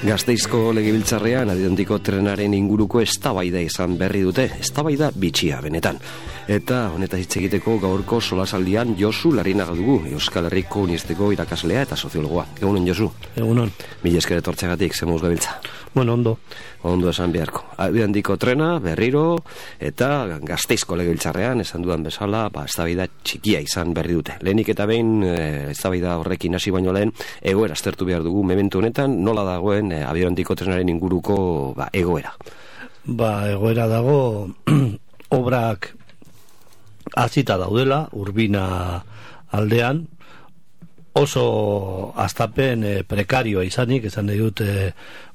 Gasteizko legebiltzarrean Adriantiko trenaren inguruko eztabaida izan berri dute, eztabaida bitxia benetan. Eta honetaz hitz egiteko gaurko solasaldian Josu Larrinaga dugu, Euskal Herriko Unibertsitateko irakaslea eta soziologoa. Egunon, Josu. Egunon. Mila esker etortzeagatik, zemuz gabiltza. Bueno, ondo. Ondo esan beharko. Adriantiko trena, berriro, eta Gasteizko legebiltzarrean, esan dudan bezala, eztabaida txikia izan berri dute. Lehenik eta behin, eztabaida horrekin hasi baino lehen, egoera aztertu behar dugu momentu honetan, nola dagoen Adriantiko trenaren inguruko egoera. Egoera dago, obrak hasita daudela, Urbina aldean, oso astapen prekarioa izanik, esan nahi dut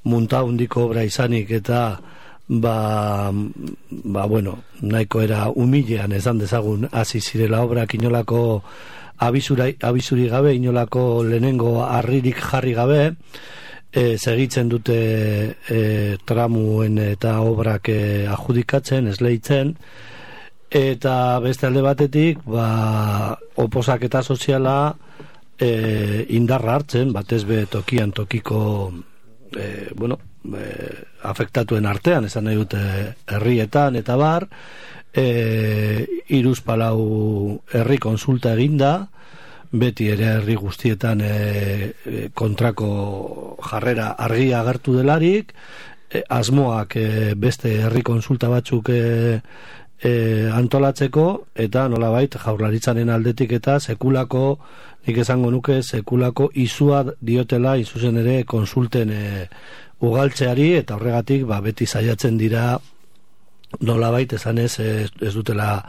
muntaundiko obra izanik, eta bueno, nahiko era humilean esan dezagun hasi zirela obrak, inolako abisuri gabe, inolako lehenengo harririk jarri gabe, segitzen dute tramuen eta obrak adjudikatzen, esleitzen, eta beste alde batetik oposaketa soziala indarra hartzen, batez be tokian tokiko afektatuen artean, esan nahi dute herrietan eta bar, 3-4 herri konsulta eginda, beti ere herri guztietan kontrako jarrera argia agertu delarik, asmoak beste herri konsulta batzuk antolatzeko, eta nolabait Jaurlaritzaren aldetik eta sekulako, nik esango nuke, sekulako izua diotela izuzen ere konsulten ugaltzeari, eta horregatik beti saiatzen dira nolabait esan ez dutela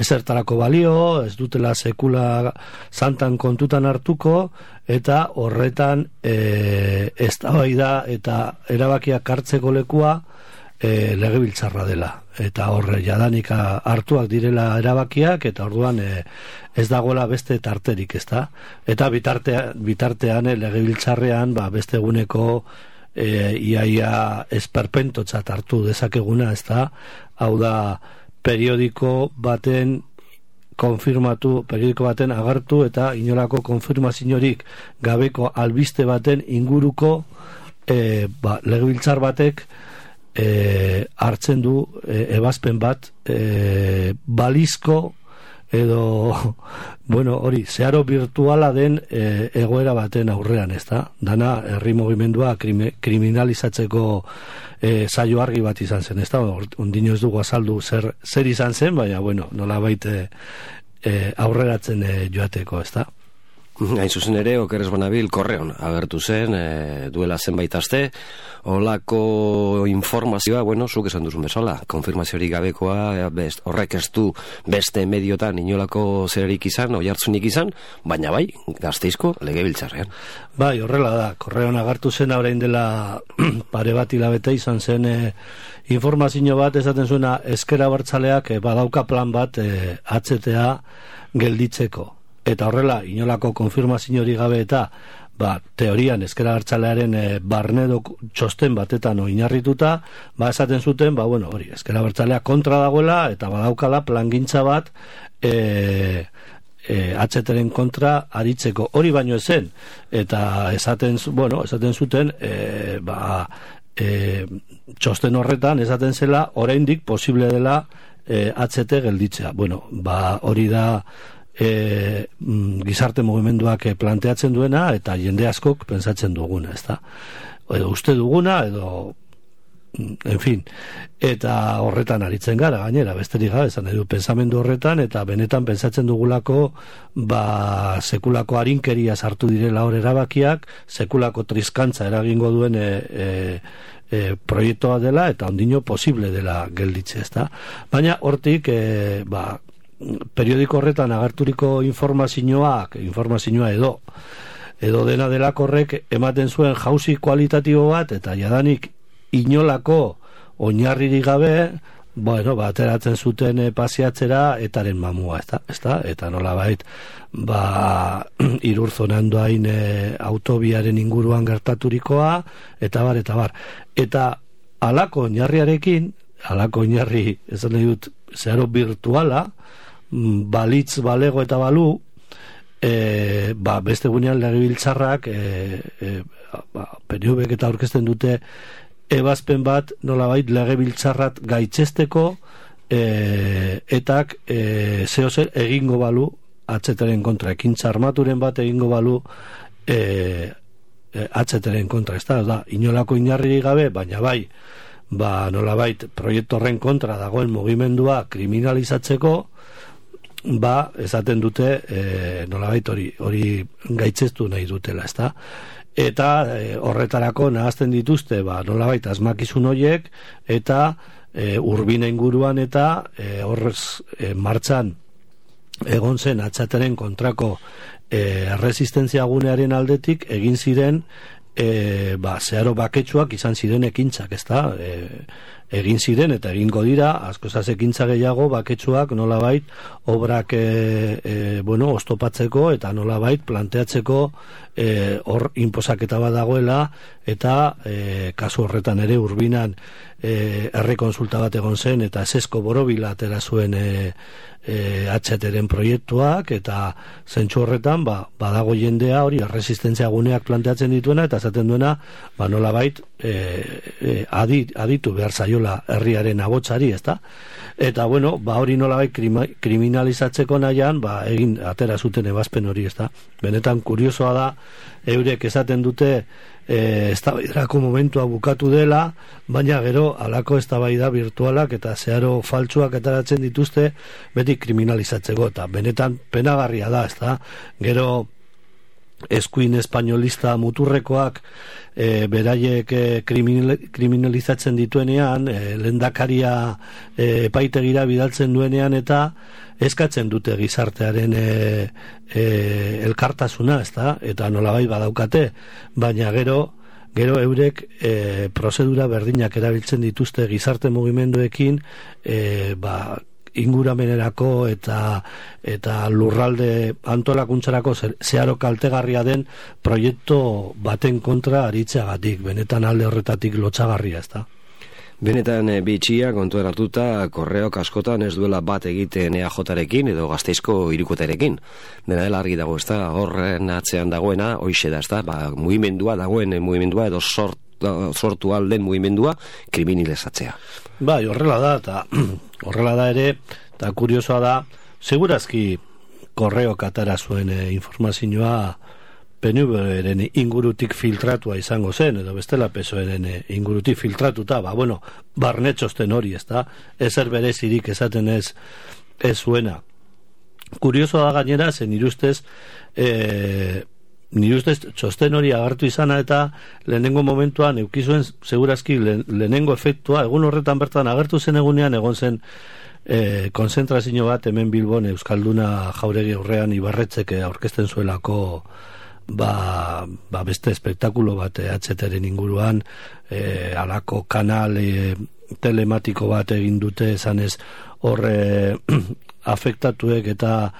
ezertarako balio, ez dutela sekula santan kontutan hartuko, eta horretan eztabaida eta erabakiak hartzeko lekua legebiltzarra dela, eta horre jadanik hartuak direla erabakiak, eta orduan ez dagoela beste tarterik, ezta? Eta bitartean legebiltzarrean beste eguneko iaia esperpentotzat hartu dezakeguna, ezta? Hau da, periodiko baten agertu eta inolako konfirmaziorik gabeko albiste baten inguruko legebiltzar batek hartzen du ebazpen bat balizko edo hori, zeharo virtuala den egoera baten aurrean, ezta? Dana herri mugimendua kriminalizatzeko saio argi bat izan zen, ezta? Ondino ez dugu azaldu zer izan zen, baina nolabait aurreratzen joateko, ezta? Hain zuzen ere, okeres banabil korreon agertu zen, duela zenbait aste, holako informazioa, zuk esan duzun bezala, konfirmaziorik gabekoa, horrek ez du beste mediotan inolako zererik izan, oihartzunik izan, baina Gasteizko legebiltzarrean. Horrela da, korreon agertu zen, orain dela pare bat hilabete izan zen informazio bat, esaten zuena Ezker Abertzaleak badauka plan bat HTA gelditzeko. Eta horrela, inolako konfirmazio hori gabe eta teorian Ezker Abertzalearen barnedo txosten batetan oinarrituta, esaten zuten, hori, Ezker Abertzalea kontra dagoela eta badaukala plangintza bat HTren kontra aritzeko. Hori baino ezen, eta esaten zuten, txosten horretan esaten zela, oraindik posible dela HT gelditzea. Hori da gizarte mugimenduak planteatzen duena, eta jende askok pentsatzen duguna, ezta? Edo uste duguna, edo en fin, eta horretan aritzen gara, gainera, besterik gabe, esan edo pensamendu horretan, eta benetan pentsatzen dugulako sekulako arinkeria sartu direla hor erabakiak, sekulako triskantza eragingo duen proiektua dela, eta ondino posible dela gelditze, ezta? Baina hortik periodiko horretan agerturiko informazioa edo dena delakorrek ematen zuen jauzi kualitatibo bat, eta jadanik inolako oinarririk gabe ateratzen zuten pasiatzera etaren mamua, ezta? Eta nolabait Irurzonan doain autobiaren inguruan gertaturikoa, eta bar. Eta halako oinarriarekin, halako oinarri esan nahi dut zeharo virtuala, balitz balego eta balu, beste gunean legebiltzarrak PNV eta aurkezten dute ebazpen bat nolabait legebiltzarrat gaitzesteko etak zehozer egingo balu atzeteren kontra, ekintza armaturen bat egingo balu atzeteren kontra, ez da, inolako inarririk gabe, baina bai, nolabait proiektu horren kontra dagoen mugimendua kriminalizatzeko, esaten dute nolabait hori gaitzestu nahi dutela, ez da? Eta horretarako nahazten dituzte nolabait asmakizun horiek eta Urbina inguruan eta horrez martxan egon zen atxateren kontrako erresistentzia gunearen aldetik egin ziren zeharo baketsuak izan ziren ekintzak, ezta? Egin ziren eta egingo dira askozaz ekintza gehiago baketsuak nolabait obrak oztopatzeko eta nolabait planteatzeko hor inposaketa bat dagoela eta kasu horretan ere Urbinan herri konsulta bat egon zen eta esesko borobila atera zuen atxeteren proiektuak eta zentsu horretan badago jendea hori erresistentzia guneak planteatzen dituena eta esaten duena nolabait aditu behar zaiola herriaren abotsari, ezta? Eta hori nolabait kriminalizatzeko nahian egin atera zuten ebazpen hori, ezta? Benetan kuriosoa da eurek esaten dute eztabaidarako momentua bukatu dela, baina gero halako eztabaida virtualak eta zeharo faltsuak ateratzen dituzte beti kriminalizatzeko eta benetan penagarria da, ezta? Gero eskuin espainolista muturrekoak beraiek kriminalizatzen dituenean, lehendakaria epaitegira bidaltzen duenean eta eskatzen dute gizartearen elkartasuna, ezta? Eta nolabait badaukate, baina gero eurek prozedura berdinak erabiltzen dituzte gizarte mugimenduekin inguramenerako eta lurralde antolakuntzarako zeharo kaltegarria den proiektu baten kontra aritzeagatik, benetan alde horretatik lotsagarria, ezta? Benetan bitxia kontuan hartuta Korreok askotan ez duela bat egiten EAJarekin edo Gasteizko hirukotearekin. Dena dela argi dago, ezta? Horren atzean dagoena hoixe da, ezta? Mugimendua dagoen mugimendua edo sortu alden mugimendua kriminalizatzea. Horrela da, eta horrela da ere, eta kuriosoa da, segurazki Korreok atera zuen informazioa PNV-ren ingurutik filtratua izango zen, edo bestela PSOE-ren ingurutik filtratuta, barnetxosten hori, ezta? Ezer berezirik esaten ez zuena. Kuriosoa da gainera, zen nire ustez txosten hori agertu izana eta lehenengo momentuan eukizuen segurazki lehenengo efektua, egun horretan bertan agertu zen egunean, egon zen konzentrazio bat hemen Bilbon Euskalduna Jauregi aurrean Ibarretzek aurkezten zuelako beste espektakulo bat atzeteren inguruan alako kanal telematiko bat egin dute esanez horre afektatuek eta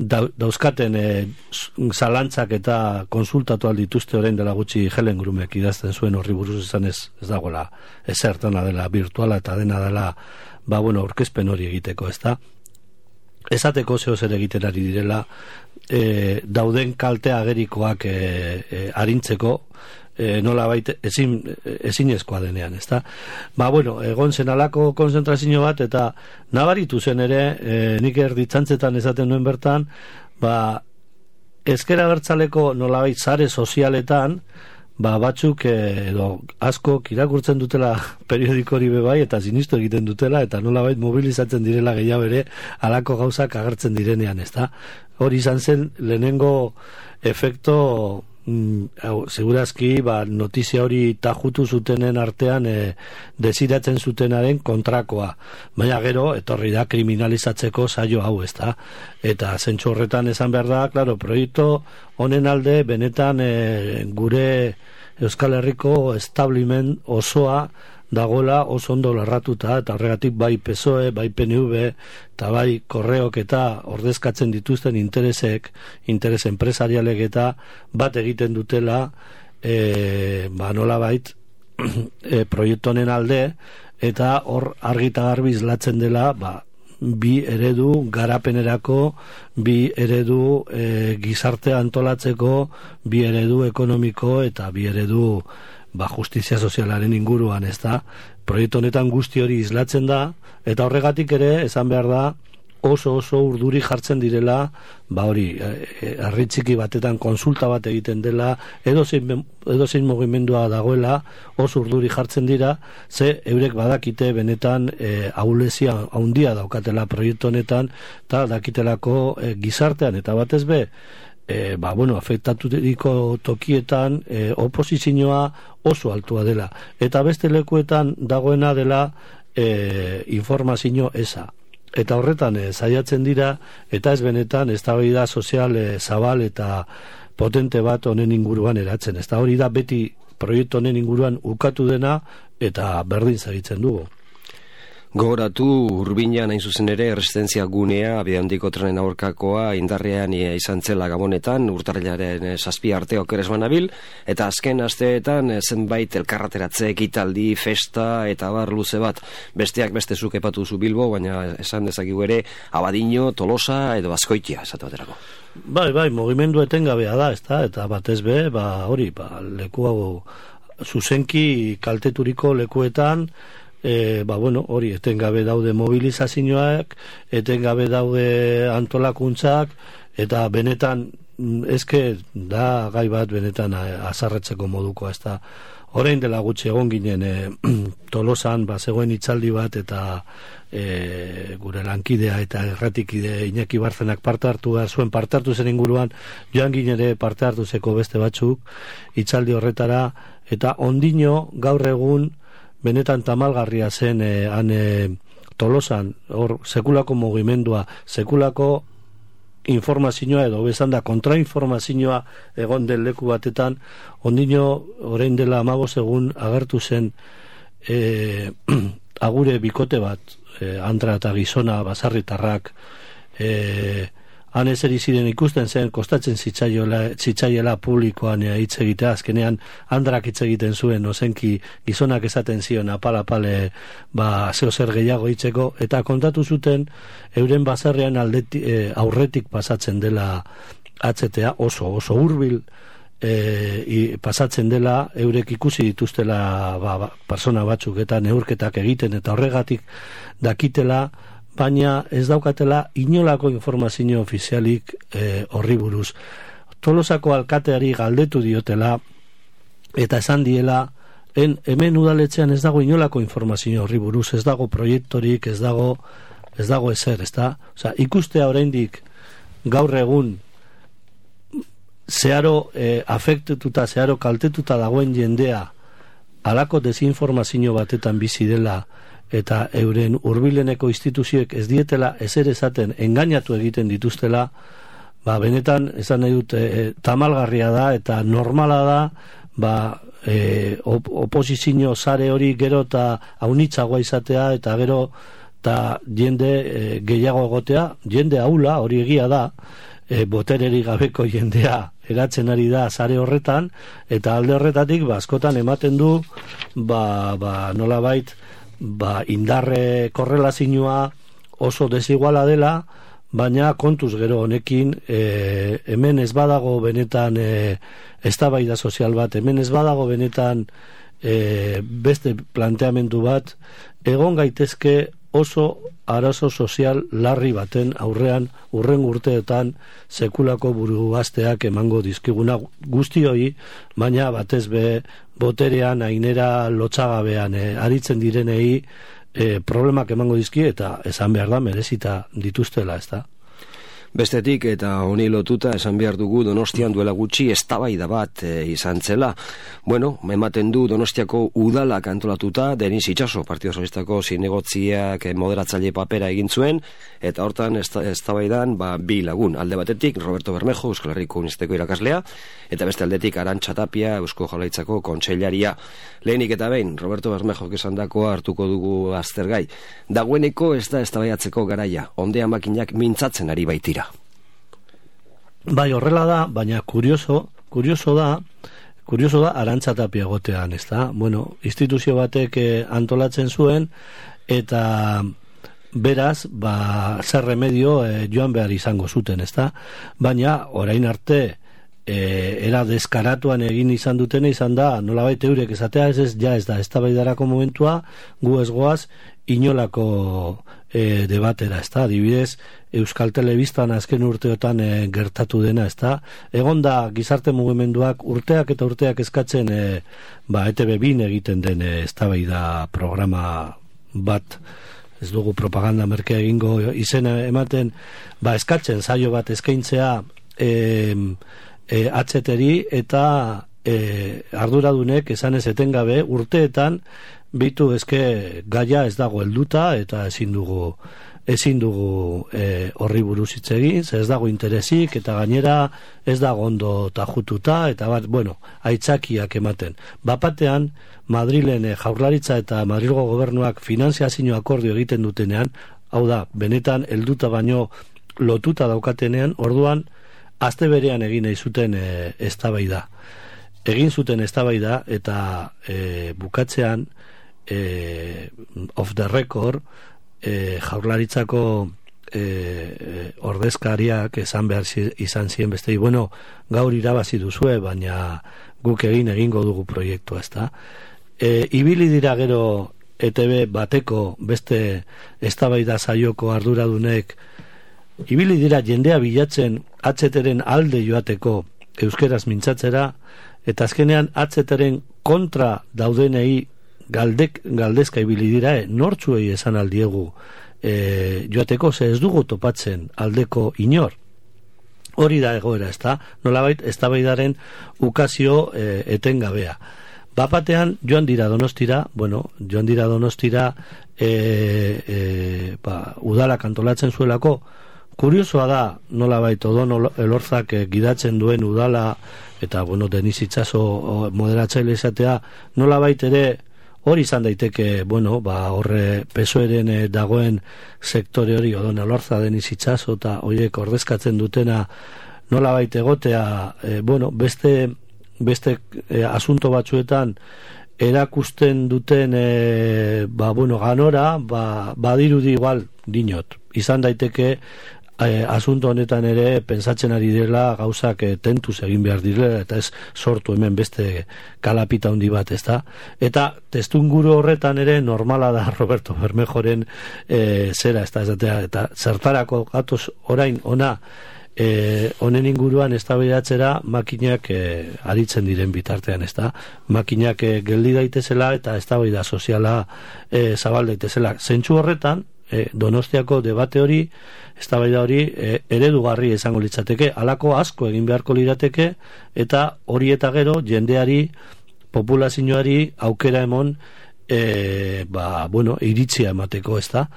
dauzkaten zalantzak eta konsultatu aldituzte orain dela gutxi Helen Grumek idazten zuen horri buruz esan ez dagoela ezertana dela virtuala eta dena dela aurkezpen hori egiteko, ezta? Esateko zer egiten ari direla dauden kalte agerikoak arintzeko nolabait ezinezkoa denean, ezta? Egon zen alako konzentrazio bat eta nabaritu zen ere nik erditzantzetan esaten duen bertan ezker abertzaleko nolabait sare sozialetan batzuk edo askok irakurtzen dutela periodikori bebai eta sinistu egiten dutela eta nolabait mobilizatzen direla gehiago ere alako gauzak agertzen direnean, ezta? Hori izan zen lehenengo efekto segurazki notizia hori tajutu zutenen artean desiratzen zutenaren kontrakoa, baina gero etorri da kriminalizatzeko saio hau, ezta? Eta zentsu horretan esan behar da, claro, proiektu honen alde benetan gure Euskal Herriko establiment osoa dagoela oso ondo lerratuta eta horregatik bai PSOE, bai PNV eta bai Korreok eta ordezkatzen dituzten interes enpresarialek eta bat egiten dutela nolabait proiektu honen alde eta hor argi eta garbi islatzen dela bi eredu garapenerako, bi eredu gizartea antolatzeko, bi eredu ekonomiko eta bi eredu justizia sozialaren inguruan, ez da? Proiektu honetan guzti hori islatzen da, eta horregatik ere, esan behar da, oso urduri jartzen direla, hori, herri txiki batetan konsulta bat egiten dela, edozein mugimendua dagoela, oso urduri jartzen dira, ze eurek badakite benetan ahulezia handia daukatela proiektu honetan, eta dakitelako gizartean, eta batez be, afektaturiko tokietan oposizioa oso altua dela. Eta beste lekuetan dagoena dela informazio eza. Eta horretan saiatzen dira, eta ez benetan eztabaida sozial zabal eta potente bat honen inguruan eratzen. Ez da hori da beti proiektu honen inguruan ukatu dena eta berdin zagitzen dugu. Gogoratu Urbinan hain zuzen ere erresistentzia gunea abiadandiko trenen aurkakoa indarrean izan zela Gabonetan urtarrilaren 7 arte oker ez banabil, eta azken asteetan zenbait elkarrateratze, ekitaldi, festa eta bar luze bat. Besteak beste zuk epatu zu Bilbo, baina esan dezakigu ere Abadiño, Tolosa edo Azkoitia esatu baterako. Bai, mugimendu etengabea da, ezta? Eta batez be, leku hau zuzenki kalteturiko lekuetan hori etengabe daude mobilizazioak, etengabe daude antolakuntzak, eta benetan eske da gai bat benetan azarretzeko modukoa, ez da. Orain dela gutxi egon ginen Tolosan zegoen hitzaldi bat, eta gure lankidea eta erratikide Iñaki Barzenak parte hartu zen inguruan, joan ginen ere parte hartu zeko beste batzuk hitzaldi horretara, eta ondino gaur egun benetan tamalgarria zen Tolosan, hor sekulako mugimendua, sekulako informazioa edo bezan da kontrainformazioa egon den leku batetan, ondino orain dela 15 egun agertu zen agure bikote bat, Andra eta Gizona baserritarrak, han ezer ziren ikusten zen, kostatzen zitzaiela publikoan hitz egitea, azkenean Andrak hitz egiten zuen, ozenki Gizonak esaten zion apal-apale zeo zer gehiago hitzeko, eta kontatu zuten euren baserrian aurretik pasatzen dela atzetea, oso hurbil pasatzen dela, eurek ikusi dituztela persona batzuk eta neurketak egiten, eta horregatik dakitela, baina ez daukatela inolako informazio ofizialik horri buruz. Tolosako alkateari galdetu diotela eta esan diela, hemen udaletxean ez dago inolako informazio horri buruz, ez dago proiektorik, ez dago ezer, ez da? Osea, ikustea oraindik gaur egun zeharo afektetuta, zeharo kaltetuta dagoen jendea halako desinformazio batetan bizi dela, eta euren hurbileneko instituzioek ez dietela ezer esaten, engainatu egiten dituztela, benetan esan nahi dut tamalgarria da eta normala da oposizio sare hori gero eta haunitzagoa izatea, eta gero eta jende gehiago egotea, jende ahula hori egia da, botererik gabeko jendea eratzen ari da sare horretan, eta alde horretatik askotan ematen du nolabait indarre korrelazioa oso desiguala dela, baina kontuz gero honekin hemen ez badago benetan eztabaida sozial bat, hemen ez badago benetan beste planteamendu bat, egon gaitezke oso arazo sozial larri baten aurrean urren urteetan sekulako buruazteak emango dizkiguna guztioi, baina batez be boterean ainera lotsagabean aritzen direnei problemak emango dizki, eta esan behar da merezita dituztela, ez da? Bestetik, eta honi lotuta esan behar dugu Donostian duela gutxi eztabaida bat izan zela. Bueno, ematen du Donostiako udalak antolatuta, Denis Itxaso, Partido Socialistako zinegotziak moderatzaile papera egin zuen, eta hortan eztabaidan bi lagun. Alde batetik, Roberto Bermejo, Euskal Herriko Unibertsitateko irakaslea, eta beste aldetik Arantxa Tapia, Eusko Jaurlaritzako kontseilaria. Lehenik eta behin, Roberto Bermejo esandakoa hartuko dugu aztergai. Dagoeneko ez da eztabaidatzeko garaia, ondea makinak mintzatzen ari baitira. Bai, horrela da, baina kurioso da Arantxa Tapia gotean, ez da? Bueno, instituzio batek antolatzen zuen, eta beraz, zer remedio joan behar izango zuten, ezta? Baina, orain arte, era deskaratuan egin izan dutena izan da, nolabait eurek esatea, ez da, eztabaidarako momentua, gu ez goaz, inolako debatera, ezta? Adibidez, Euskal Telebistan azken urteotan gertatu dena, ezta? Egon da gizarte mugimenduak urteak eta urteak eskatzen ETV2 egiten den eztabaida programa bat, ez dugu propaganda merkea egingo izena ematen, eskatzen saio bat eskaintzea atzeteri eta arduradunek esan ez etengabe urteetan bitu eske gaia ez dago helduta eta ezin dugu horri buruz hitz egin, ez dago interesik eta gainera ez dago ondo tajututa eta aitzakiak ematen. Bapatean Madrilen Jaurlaritza eta Madrilgo gobernuak finanziazio akordio egiten dutenean, hau da, benetan helduta baino lotuta daukatenean, orduan aste berean egin nahi zuten eztabaida. Egin zuten eztabaida eta bukatzean off the record Jaurlaritzako ordezkariak esan behar izan ziren bestei, gaur irabazi duzue, baina guk egingo dugu proiektua, ezta? Ibili dira gero ETV bateko beste eztabaida saioko arduradunek, ibili dira jendea bilatzen atzeteren alde joateko euskeraz mintzatzera, eta azkenean atzeteren kontra daudenei galdezka ibili dira, nortzuei esan aldiegu joateko, ze ez dugu topatzen aldeko inor. Hori da egoera, ezta? Nolabait eztabaidaren ukazio etengabea. Bapatean joan dira Donostira, udalak antolatzen zuelako. Kuriosoa da, nolabait Odono Elorzak gidatzen duen udala eta Denis Itxaso moderatzaile izatea, nolabait ere hori izan daiteke, horre PSOEren dagoen sektore hori, Odono Elorza, Denis Itxaso eta horiek ordezkatzen dutena nolabait egotea, beste asunto batzuetan erakusten duten ganora, badirudi igual dinot. Izan daiteke asunto honetan ere pentsatzen ari direla gauzak tentuz egin behar direla eta ez sortu hemen beste kalapita handi bat, ezta? Eta testunguru horretan ere normala da Roberto Bermejoren zera, eta zertarako gatoz orain ona honen inguruan eztabaidatzera makinak aritzen diren bitartean, ezta? Makinak geldi daitezela eta eztabaida soziala zabal daitezela. Zentzu horretan Donostiako debate hori, eztabaida hori eredugarri izango litzateke, halako asko egin beharko lirateke eta hori eta gero jendeari, populazioari aukera emon iritzia emateko, ezta?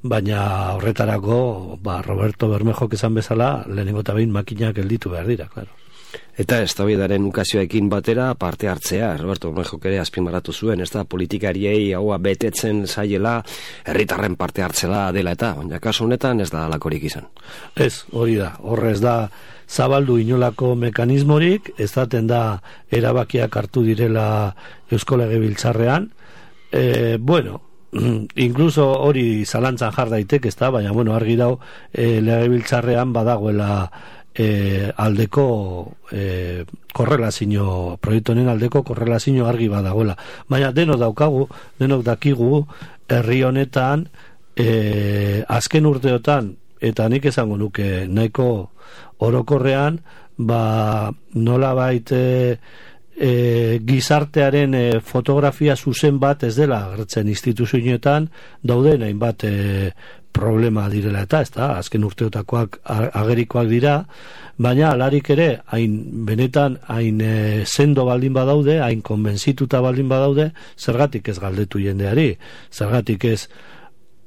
Baina horretarako Roberto Bermejok esan bezala lehenengo eta behin makinak gelditu behar dira, claro. Eta eztabaidaren ukazioekin batera parte hartzea, Roberto Bermejok ere azpimarratu zuen, ez da, politikariei haua betetzen zaiela, herritarren parte hartzela dela eta, baina kasu honetan ez da halakorik izan. Ez, hori da, horrez da zabaldu inolako mekanismorik, ez daten da erabakiak hartu direla Eusko Legebiltzarrean, incluso hori zalantzan jar daitek, ez da, baina argi dau Legebiltzarrean badagoela aldeko korrelazio, proiektu honen aldeko korrelazio argi badagoela. Baina denok dakigu herri honetan azken urteotan, eta nik esango nuke nahiko orokorrean, nolabait gizartearen fotografia zuzen bat ez dela agertzen instituzioetan, dauden hainbat problema direla eta, azken urteotakoak agerikoak dira, baina alarik ere benetan hain sendo baldin badaude, hain konbentzituta baldin badaude, zergatik ez galdetu jendeari, zergatik ez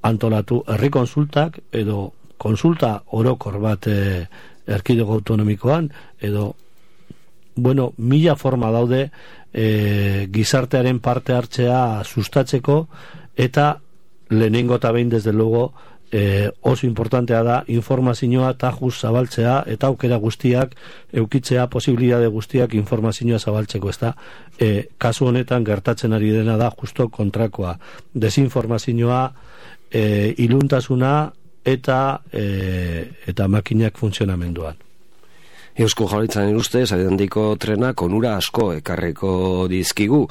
antolatu herri konsultak edo konsulta orokor bat erkidego autonomikoan, edo mila forma daude gizartearen parte hartzea sustatzeko, eta lehenengo eta behin desde luego oso importantea da informazioa tajuz zabaltzea eta aukera guztiak eukitzea, posibilitate guztiak informazioa zabaltzeko, ez da kasu honetan gertatzen ari dena da justo kontrakoa, desinformazioa, iluntasuna eta makinak funtzionamenduan. Eusko Jaurlaritzaren ustez, adendiko trenak onura asko ekarreko dizkigu.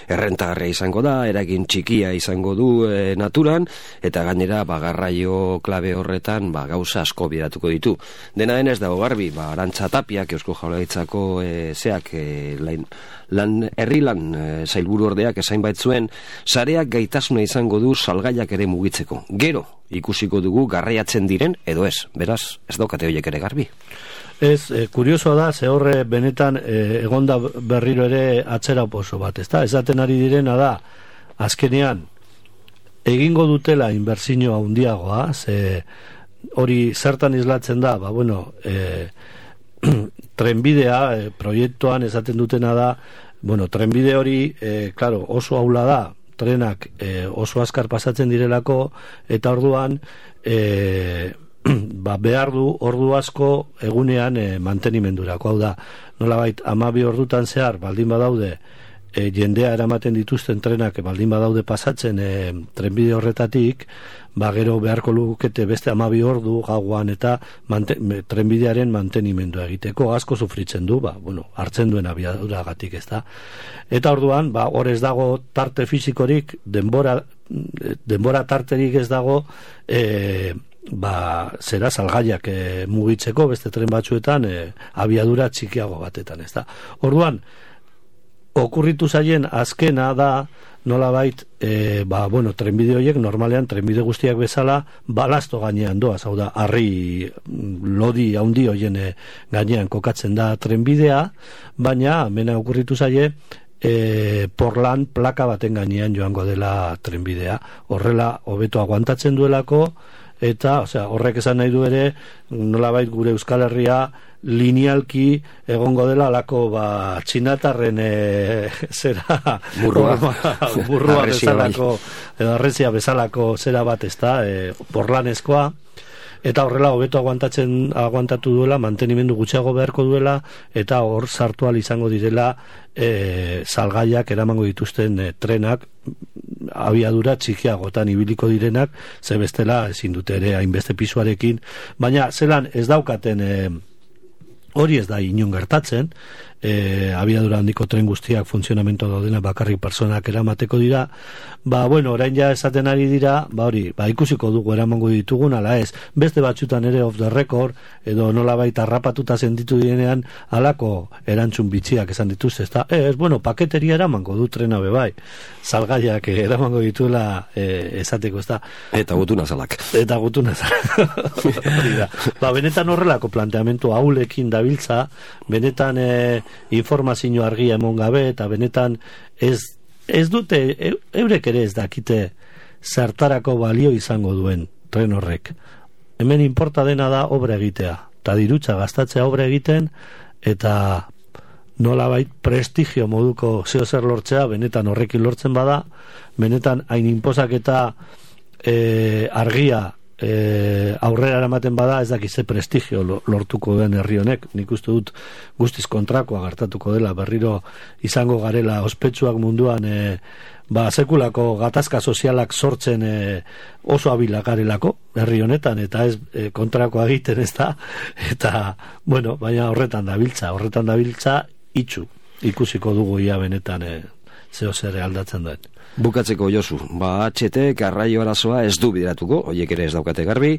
Errentagarria izango da, eragin txikia izango du naturan, eta gainera garraio klabe horretan gauza asko bidatuko ditu. Dena denez dago garbi, Arantza Tapiak, Eusko Jaurlaritzako herri lan sailburu ordeak esain baitzuen, sareak gaitasuna izango du salgaiak ere mugitzeko. Gero, ikusiko dugu garraiatzen diren, edo ez, beraz, ez daukate horiek ere garbi. Ez, kuriosoa da, ze horre benetan egonda berriro ere atzera oso bat, ezta? Esaten ari direna da, azkenean, egingo dutela inbertsio handiagoa, ze hori zertan islatzen da, trenbidea, proiektuan esaten dutena da, trenbide hori, claro, oso aula da, trenak oso azkar pasatzen direlako, eta orduan, behar du ordu asko egunean mantenimendurako. Hau da, nolabait 12 ordutan zehar baldin badaude jendea eramaten dituzten trenak baldin badaude pasatzen trenbide horretatik, gero beharko lukete beste 12 ordu gauan eta trenbidearen mantenimendua egiteko asko sufritzen du, hartzen duen abiaduragatik, ez da. Eta orduan, hor ez dago tarte fisikorik, denbora tarterik ez dago zera salgaiak mugitzeko beste tren batzuetan abiadura txikiago batetan, ez da. Orduan, okurritu zaien azkena da nolabait, trenbide horiek normalean trenbide guztiak bezala balasto gainean doaz, hau da, harri lodi handi horien gainean kokatzen da trenbidea, baina mena okurritu zaie porlan plaka baten gainean joango dela trenbidea, horrela hobeto aguantatzen duelako, eta horrek esan nahi du ere nolabait gure Euskal Herria linealki egongo dela alako txinatarren burrua bezalako edo arrezia bezalako zera bat, ez da, porlanezkoa, eta horrela hobeto aguantatu duela, mantenimendu gutxiago beharko duela, eta hor sartu ahal izango direla salgaiak eramango dituzten trenak abiadura txikiagotan ibiliko direnak, ze bestela ezin dute ere hainbeste pisuarekin, baina zelan ez daukaten hori ez da inon gertatzen, abiadura handiko tren guztiak funtzionamento daudena bakarrik personak eramateko dira, orain ja esaten ari dira, ikusiko dugu eramango ditugun, ala ez, beste batzutan ere off the record, edo nolabait harrapatuta sentitu direnean, alako erantzun bitxiak esan dituzte, paketeria eramango du trena bebai, salgaiak eramango dituela esateko, ez da. Eta gutuna zalak. Benetan horrelako planteamentu haulekin dabiltza, benetan informazio argia emon gabe, eta benetan ez dute, eurek ere ez dakite zertarako balio izango duen tren horrek. Hemen importa dena da obra egitea, eta dirutza gastatzea obra egiten, eta nolabait prestigio moduko zeo zer lortzea, benetan horrekin lortzen bada, benetan hain inposak eta argia aurrera eramaten bada, ez dakize prestigio lortuko den herri honek. Nik uste dut guztiz kontrakoa gertatuko dela, berriro izango garela ospetsuak munduan sekulako gatazka sozialak sortzen oso abilak garelako herri honetan, eta ez kontrakoa egiten, ez da, eta baina horretan dabiltza itxu ikusiko dugu ia benetan zeo zer aldatzen duen. Bukatzeko, Josu, HT garraio arazoa ez du bideratuko, horiek ere ez daukate garbi,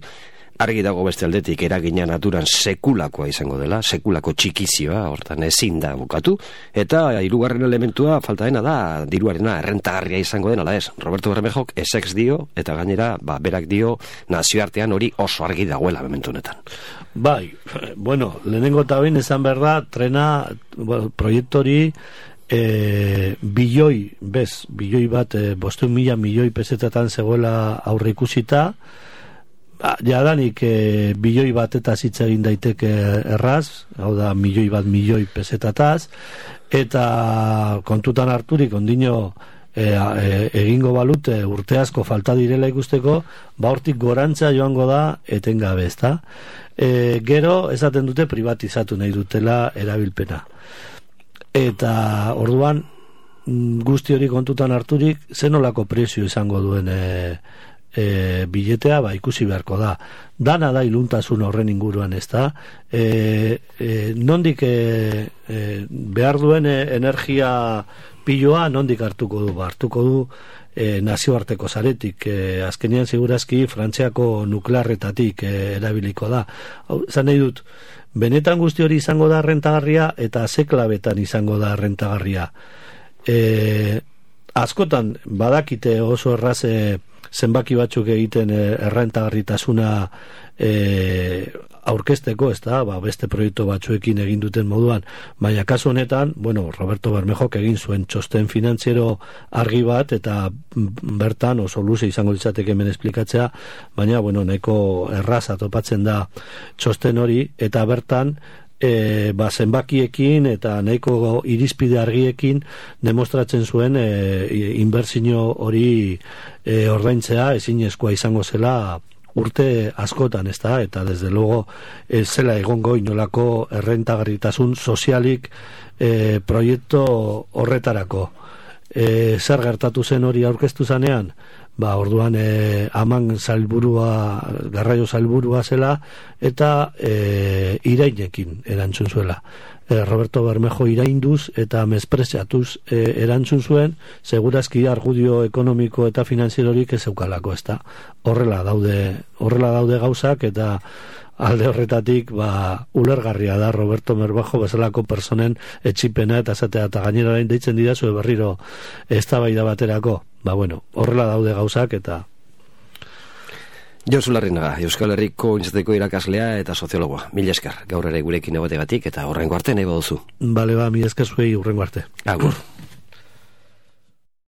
argi dago beste aldetik eragina naturan sekulakoa izango dela, sekulako txikizioa, hortan ezin da bukatu, eta hirugarren elementua falta dena da, diruarena errentagarria izango dena, ala ez, Roberto Bermejok esex dio, eta gainera, berak dio, nazioartean hori oso argi dagoela momentu honetan. Lehenengo eta behin esan behar da, trena, proiektori, bilioi bat, 500.000 milioi pesetatan zegoela aurre ikusita, jadanik bilioi bat eta hitz egin daiteke erraz, hau da milioi pesetataz, eta kontutan harturik ondino egingo balut urte asko falta direla ikusteko, hortik gorantza joango da etengabe, ezta? Gero esaten dute privatizatu nahi dutela erabilpena. Eta orduan guzti hori kontutan harturik zenolako prezio izango duen biletea, ikusi beharko da. Dana da iluntasun horren inguruan, ezta? Nondik behar duen energia piloa nondik hartuko du? Hartuko du nazioarteko zaretik, azkenean segurazki Frantziako nuklearretatik erabiliko da. Zan nahi dut, benetan guzti hori izango da rentagarria eta ze klabetan izango da rentagarria. Askotan badakite oso erraz zenbaki batzuk egiten errentagarritasuna aurkezteko, ez da, beste proiektu batzuekin egin duten moduan, baina kasu honetan, Roberto Bermejok egin zuen txosten finantziero argi bat, eta bertan oso luze izango litzateke hemen esplikatzea, baina, nahiko erraza topatzen da txosten hori, eta bertan zenbakiekin eta nahiko irizpide argiekin demostratzen zuen inbertsio hori ordaintzea ezinezkoa izango zela urte askotan, ezta? Eta desde luego zela egongo inolako errentagarritasun sozialik proiektu horretarako. Zer gertatu zen hori aurkeztu zanean? Orduan aman garraio salburua zela eta irainekin erantzun zuela. Roberto Bermejo irainduz eta mespreziatuz erantzun zuen, segurazki argudio ekonomiko eta finanzierorik ez eukalako, ezta? Horrela daude gauzak, eta alde horretatik ulergarria da Roberto Bermejo bezalako personen etxipena eta esatea, eta gainera deitzen didazu berriro eztabaida baterako. Horrela daude gauzak, eta Josu Larrinaga, Euskal Herriko Unibertsitateko irakaslea eta soziologoa. Mila esker, gaur ere gurekin egotegatik, eta horrengo arte nahi baduzu. Mila esker zuei, horrengo arte. Agur.